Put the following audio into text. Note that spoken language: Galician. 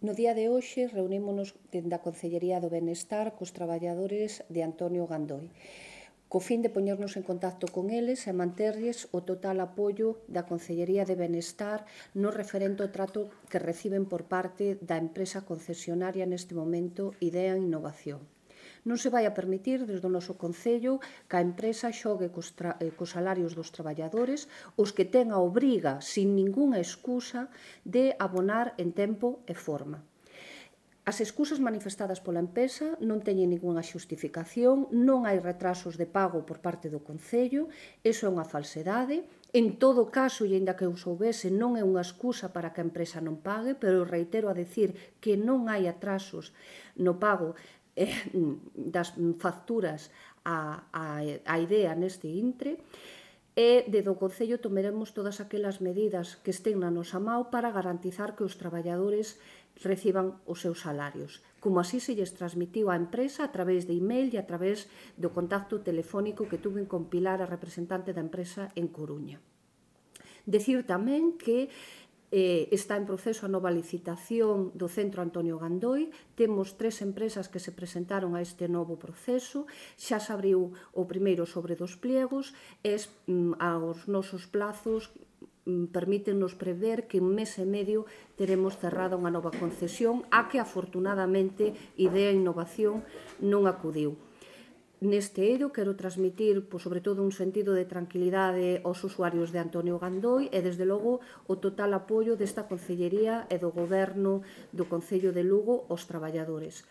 No día de hoxe reunímonos dende a Concellería do Benestar cos traballadores de Antonio Gandoi, co fin de poñernos en contacto con eles e manterlles o total apoio da Concellería de Benestar no referente ao trato que reciben por parte da empresa concesionaria neste momento Idea Innovación. Non se vai a permitir desde o noso Concello que a empresa xogue cos salarios dos traballadores, os que ten a obriga, sin ningunha excusa, de abonar en tempo e forma. As excusas manifestadas pola empresa non teñen ningunha xustificación, non hai retrasos de pago por parte do Concello, iso é unha falsedade. En todo caso, e aínda que eu soubese, non é unha excusa para que a empresa non pague, pero reitero a decir que non hai atrasos no pago das facturas a Idea neste intre, e desde o Concello tomaremos todas aquelas medidas que estén na nosa mão para garantizar que os traballadores reciban os seus salarios, como así se lles transmitiu á empresa a través de email e a través do contacto telefónico que tuve con Pilar, a representante da empresa en Coruña. Decir tamén que está en proceso a nova licitación do Centro Antonio Gandoi. Temos 3 empresas que se presentaron a este novo proceso. Xa se abriu o primeiro sobre dos pliegos e aos nosos plazos permítenos prever que en mes e medio teremos cerrada unha nova concesión a que afortunadamente Idea Innovación non acudiu. Neste eido quero transmitir, sobre todo, un sentido de tranquilidade aos usuarios de Antonio Gandoi e, desde logo, o total apoio desta Concellería e do Goberno do Concello de Lugo aos traballadores.